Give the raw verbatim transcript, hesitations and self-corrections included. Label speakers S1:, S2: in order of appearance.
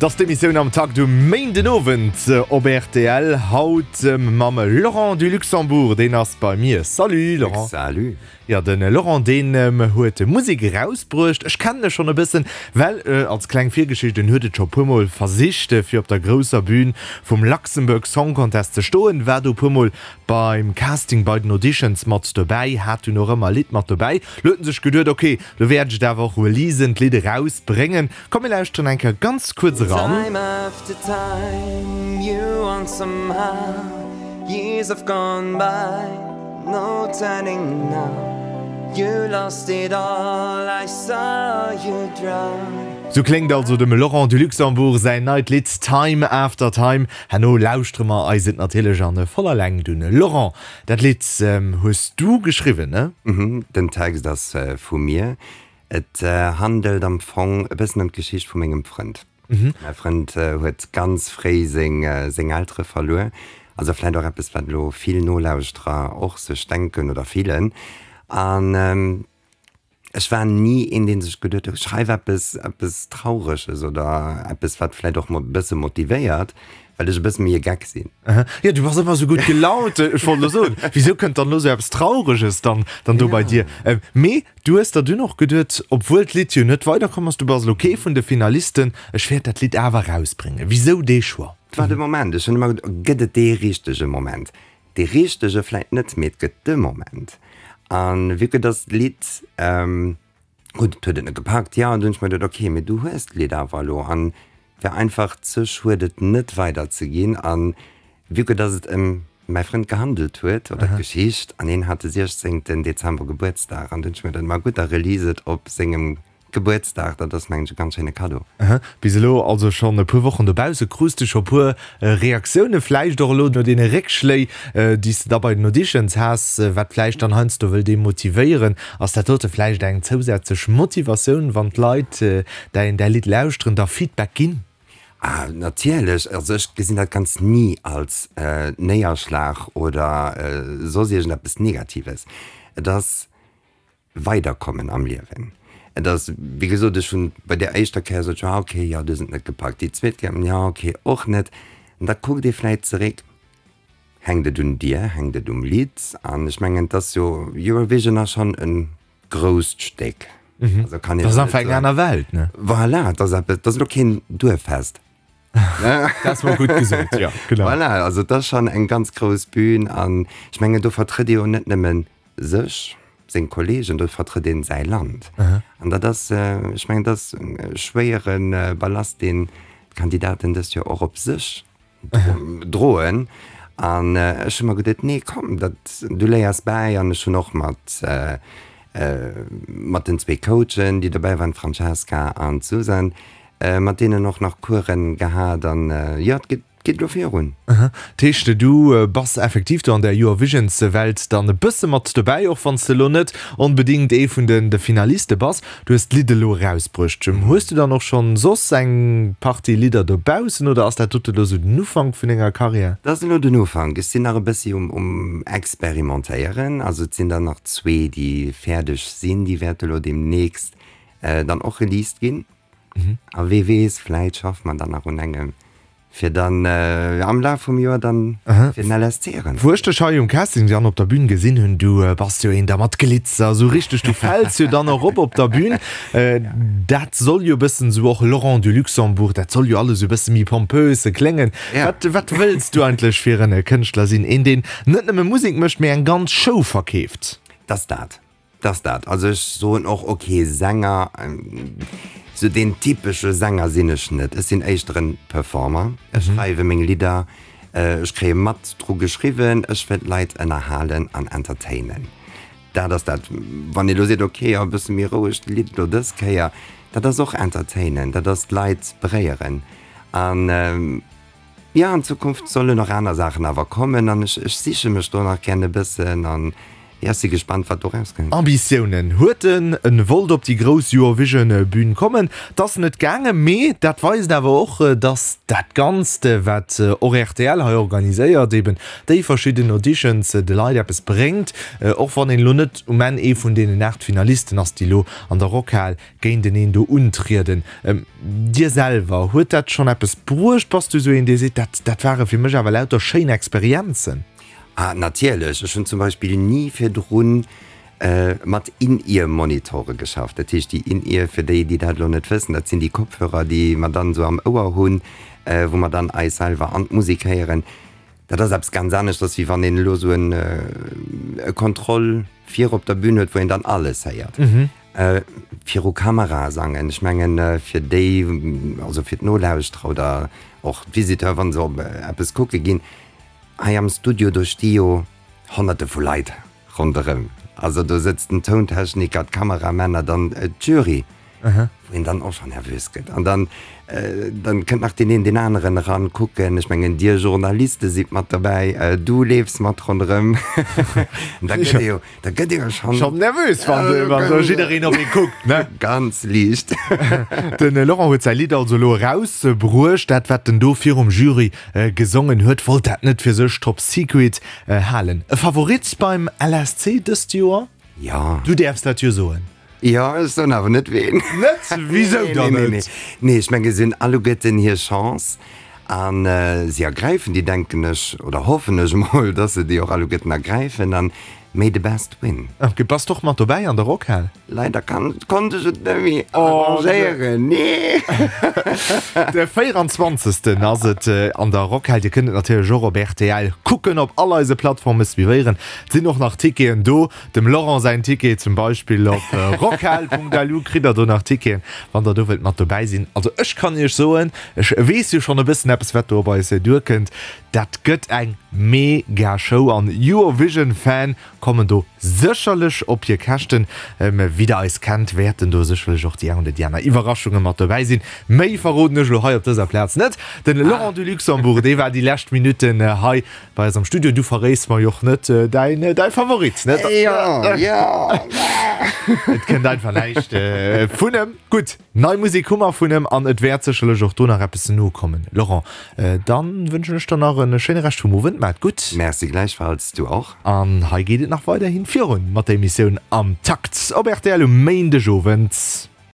S1: Dass d'Emissioun am Takt um Méindenowend op rtl. Haut mam Laurent du Luxembourg, deen ass bei mir. Salut Laurent.
S2: Salut.
S1: Jo, de Laurent deen huet Musek erausbruecht. Ech kennen e schonn e bëssen, well als kleng Virgeschicht, en huet et scho puermol versicht fir op der grousser Bühn vum Luxembourg Song Contest ze stoen, war do puermol beim Casting bei den Auditions mat dobäi, hat dunn och ëmmer e Lidd mat dobäi. Lo huet en sech geduet, ok, lo wäert ech et awer och releasen, d'Lidd erausbréngen. Komm mir lauschteren eng Kéier ganz kuerz eran.
S3: Time after time you want somehow Years have gone by, no turning now You lost it all, I saw you drown.
S1: Sou kléngt also dem Laurent du Luxembourg säin neit Lidd Time After Time. Herno lauschtere mer eis et natierlech an voller Längt un. Laurent, dat Lidd hues du geschriwwen, ne?
S2: Mhm, den Text ass vu mir. Et handelt am Fong e bëssen ëm d'Geschicht vu mengem Frënd. Mäi Frënd huet ganz fréi seng seng Eltere verluer. Also vläit och eppes, wat elo vill Nolauschterer och sech denken oder fillen. An ech war ni een, dee sech geduet huet, schreif eppes, eppes Traureges oder eppes, wat vläit och e bësse motivéiert, well ech e bësse méi e Geck sinn.
S1: Jo, du bass ëmmer esou gutt gelaunt. Ech wollt elo soen, wisou kënnt dann elo esou eppes Traureges dann, dann do bei dir? Mee du hues der dunn och geduet, obwuel d'Lidd jo net weiderkomm ass, du bass elo kee vun de Finalisten, ech wäert dat Lidd awer erausbréngen. Wisou dee Choix?
S2: Et war de Moment. Ech hunn ëmmer geduet, gëtt et dee richtege Moment? Dee richtege vläit net, mee et gëtt de Moment. A vue que dass d'Lidd, gutt, et huet et net gepackt, jo, an dunn hunn ech mer geduet, ok, mee du hues d'Lidd awer elo an et wär einfach ze schued, et net weiderzeginn. A vue que dass et ëm mäi Frënd gehandelt huet, oder d'Geschicht, an hien hat de siechzéngten Dezember Gebuertsdag, an dunn hunn ech mer geduet, ma gutt, da release et op sengem Gebuertsdag, dat ass mengen ech e ganz schéine Cadeau.
S1: Bis elo also schonn e puer Wochen dobausse, krus de scho puer Reaktioune, vläicht och elo no deene Réckschléi, déi s de da bei den Auditions has, wat vläicht dann heiansdo wëll demotivéieren. Ass dat dote vläicht eng zousätzlech Motivatioun, wann d'Leit däin däi Lidd lauschteren, der Feedback ginn?
S2: Ah, natierlech. Also ech gesinn dat Ganzt ni als Néierschlag oder soss iergendeppes Negatives. Et ass. Weiderkommen am Liewen. Et ass, wéi gesot, ech hunn bei där éischter Kéier sot ech, ah okay, jo, du hues et net gepackt. Déi zweet Kéier, jo, okay, och net. An da kuckt ee vläit zeréck, hänkt et un dir, hänkt et um Lidd? An ech mengen, et ass jo, Eurovision ass schonn e grousst Stéck.
S1: Also kann een Dat ass einfach eng aner Welt, ne?
S2: Voilà, et ass eppes, et ass elo keen Duerffest.
S1: Dat ass mol gutt gesot, jo,
S2: genau. Voilà, also et ass schonn eng ganz grouss Bühn an ech mengen, do vertrëtt ee jo net nëmmen sech, seng Kollegen, do vertrëtt een säi Land. An dat ass, ech mengen, dat ass e schwéiere Ballast, deen d'Kandidaten dëst Joer och op sech droen. An ech hu mer geduet, nee komm, dat, du léiers bäi. An ech hunn och mat, mat den zwee Coachen, déi dobäi waren, d'Francesca an d'Susan, mat deenen och nach Coursen gehat. An jo, et geet. Geet elo virun.
S1: Dat heescht, du bass effektiv do an där Eurovisions-Welt dann e bësse mat dobäi, och wann s de elo net onbedéngt ee vun de Finaliste bass. Du hues d'Lidd elo erausbruecht. Hues du dann och schonn soss eng Partie Lidder dobaussen oder ass dat dote elo sou den Ufank vun denger Karriär?
S2: Dat ass elo den Ufank. Ech sinn nach e bëssi um Experimentéieren. Also et sinn der nach zwee, déi fäerdeg sinn. Déi wäerte elo deemnächst dann och released ginn. A wee weess, vläit schaffe mer dann nach un engem. Fir dann am Laf vum Joer dann fir den L S C erëm.
S1: Wou ech dech hei um Casting dann op der Bühn gesinn hunn, du bass jo een da mat Glitzer, esou richteg, du fäls jo dann och op op der Bühn. Dat soll jo e bëssen esou och Laurent du Luxembourg, dat soll jo alles esou e bësse méi pompös kléngen. Wat, wat wëlls du eigentlech fir en Kënschtler sinn? Een deen net nëmme Musek mécht, mee eng ganz Show verkeeft?
S2: T'ass dat. T'ass dat. Also ech soen och, ok, Sänger, sou deen typesche Sänger sinn ech net. Ech sinn éischter en Performer. Ech schreiwe meng Lidder, ech kréie mat dru geschriwwen, ech wëll d'Leit ënnerhalen an entertainen. Dat ass dat. Wann ee lo seet, ok, jo e bësse méi rouegt Lidd lo dës Kéier, dat ass och entertainen, dat ass d'Leit beréieren. An jo, an Zukunft sollen och aner Saachen awer kommen an ech ech siche mech do nach gären e bëssen an Jo, ech si gespannt, wat do rauskënnt.
S1: Ambitiounen huet en, en wollt op déi grouss Eurovision-Bühn kommen. 't ass net gaangen, mee dat weist awer och, dass dat Ganzt, wat och rtl hei organiséiert, eben déi verschidden Auditions, de Leit eppes bréngt, och wann een elo net um Enn ee vun deenen aacht Finalisten ass, déi elo an der Rockhal géinteneen do untrieden. Dir selwer, huet dat schonn eppes bruecht? Bass du esou een, dee seet, dat, dat ware fir mech awer lauter schéin Experienzen?
S2: Ah, natierlech. Ech hunn zum Beispill ni virdrun mat In-Ear-Monitore geschafft. Dat heescht, déi In-Ear, fir déi, déi dat elo net wëssen, dat sinn déi Kopfhörer, déi mer dann esou am Ouer hunn, wou mer dann eis selwer an d'Musek héieren. Dat ass eppes ganz aneschters, wéi wann een elo esou en e Contrôle vir op der Bühn huet, wou een dann alles héiert. Viru Kamera sangen, ech mengen, fir déi, also fir d'Nolauschterer oder och d'Visiteure, wa se op eppes kucke ginn, Hei am Studio, do sti jo Honnerte vu Leit ronderëm. Also do sëtzt den Tountechniker, d'Kameramänner, dann d'Jury, wou een dann och scho nervös gëtt. An dann, dann kënnt nach deen een deen aneren eran kucken. Ech mengen, dir Journaliste sidd mat dobäi, du leefs mat ronderëm. Da gëtt ee jo, da gëtt ee jo schonn.
S1: Schonn nervös, wann wann do jiddereen op ee kuckt, ne?
S2: Ganz liicht.
S1: De Laurent huet säi Lidd also elo erausbruecht. Dat, wat en do virum Jury Gesongen huet, wollt dat net fir sech top secret halen. E Favorit beim L S C dëst Joer?
S2: Jo.
S1: Du däerfs dat jo soen.
S2: Jo, ech soen awer net ween.
S1: Net? Wisou dann
S2: net? Nee, nee, ech mengen, si hunn alleguerten hir Chance a si ergräifen déi, denken ech, oder hoffen ech emol, dass se déi och alleguerten ergräifen an May the best win.
S1: Ok, bass de och mat dobäi an der Rockhal?
S2: Leider kann, konnt ech et net méi arrangéieren, nee.
S1: De véieranzwanzegsten ass et an der Rockhal. Dir kënnt et natierlech och op rtl kucken, op all eise Plattforme suivéieren. Et sinn och nach Ticketen do. Dem Laurent säin Ticket zum Beispill op rockhal.lu kritt der do nach Ticketen, wann der do wëllt mat dobäi sinn. Also ech kann iech soen, ech weess jo schonn e bëssen eppes wat do op eis duerkënnt. Dat gëtt eng mega Show an Eurovision Fan kommen do sécherlech op hir Käschten. Wéi der eis kennt, wäerten do sécherlech och déi eng oder déi aner Iwwerraschunge mat dobäi sinn. Méi verroden ech elo hei op dëser Plaz net. Den Laurent du Luxembourg, dee war déi lescht Minutten hei bei eis am Studio. Du verréis mer jo och net däin däi Favorit, net?
S2: Jo, jo.
S1: Et kënnt einfach näischt vun em. Gutt, nei Musek hu mer vun em an et wäert sécherlech och do nach eppes nokommen. Laurent, dann wënschen ech der nach en schéine Rescht vum Owend. Maat gutt.
S2: Merci gläichfalls, du och.
S1: An hei geet et nach weiderhin virun mat der Emissioun Am Takt op rtl um Méindegowend.